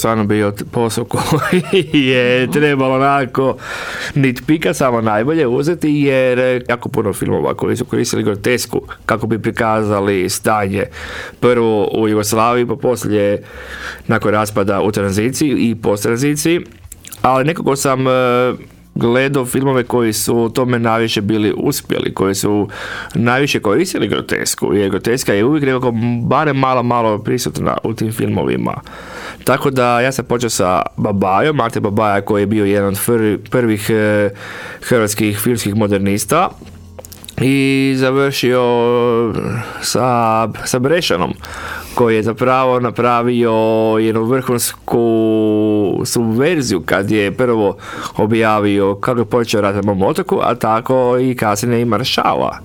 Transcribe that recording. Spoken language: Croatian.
stvarno bio posao koji je trebalo onako nitpika samo najbolje uzeti, jer jako puno filmova koji su koristili grotesku kako bi prikazali stanje prvo u Jugoslaviji, pa poslije nakon raspada u tranziciji i post-tranziciji, ali nekako sam gledao filmove koji su u tome najviše bili uspjeli, koji su najviše koristili grotesku, jer groteska je uvijek nekako barem malo prisutna u tim filmovima. Tako da ja sam počeo sa Babajom, Ante Babaja, koji je bio jedan od prvih hrvatskih filmskih modernista, i završio sa Brešanom, koji je zapravo napravio jednu vrhunsku subverziju kad je prvo objavio kako je počeo rat na mom otoku, a tako i kasnije i Maršala.